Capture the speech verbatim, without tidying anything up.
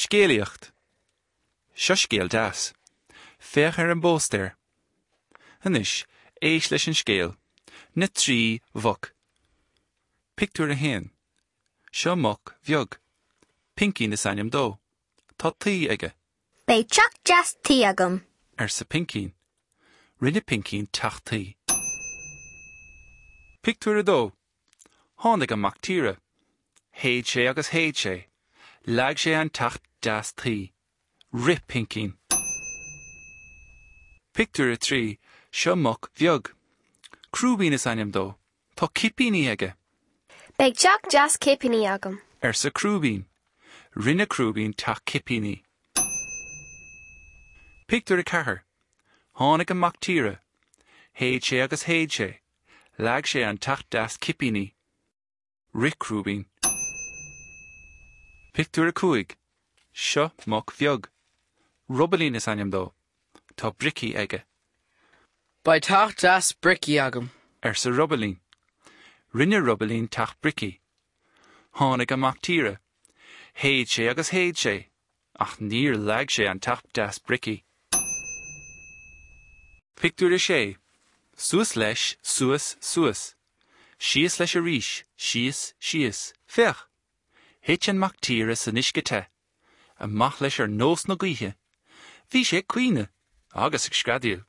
Scéalaíocht. Seo scéal deas. Féach ar an bpóstaer. Anois, éist leis an scéal. Na trí mhuc. Pictiúr a haon. Seo muc bheag. Pincín is ainm dó. Tá tuí aige. Beidh teach deas tuí agam. arsa Pincín. Rinne Pincín teach tuí. Pictiúr a dó. Tháinig an mac tíre. Shéid sé agus shéid sé. Leag sé an teach deas tuí. Rith Pincín. Pictiúr a trí, seo muc bheag. Crúibín is ainm dó. Tá cipíní aige. Beidh teach deas cipíní agam. arsa Crúibín. Rinne Crúibín teach cipíní. Pictiúr a ceathair. Tháinig an mac tíre. Shéid sé agus shéid sé. Leag sé an teach deas cipíní. Rith Crúibín. Pictiúr a cúig. Seo muc bheag. Robailín is ainm dó. Tá bricí aige. Beidh teach deas bricí agam. arsa Robailín. Rinne Robailín teach bricí. Tháinig an mac tíre. Shéid sé agus shéid sé, ach níor leag sé an teach deas bricí. Pictiúr a sé. Suas leis, suas, suas. Síos leis arís, síos, síos. Féach! Thit an mac tíre san uisce te. Amach leis ar nós na gaoithe. Bhí sé ag caoineadh, agus ag screadaíl.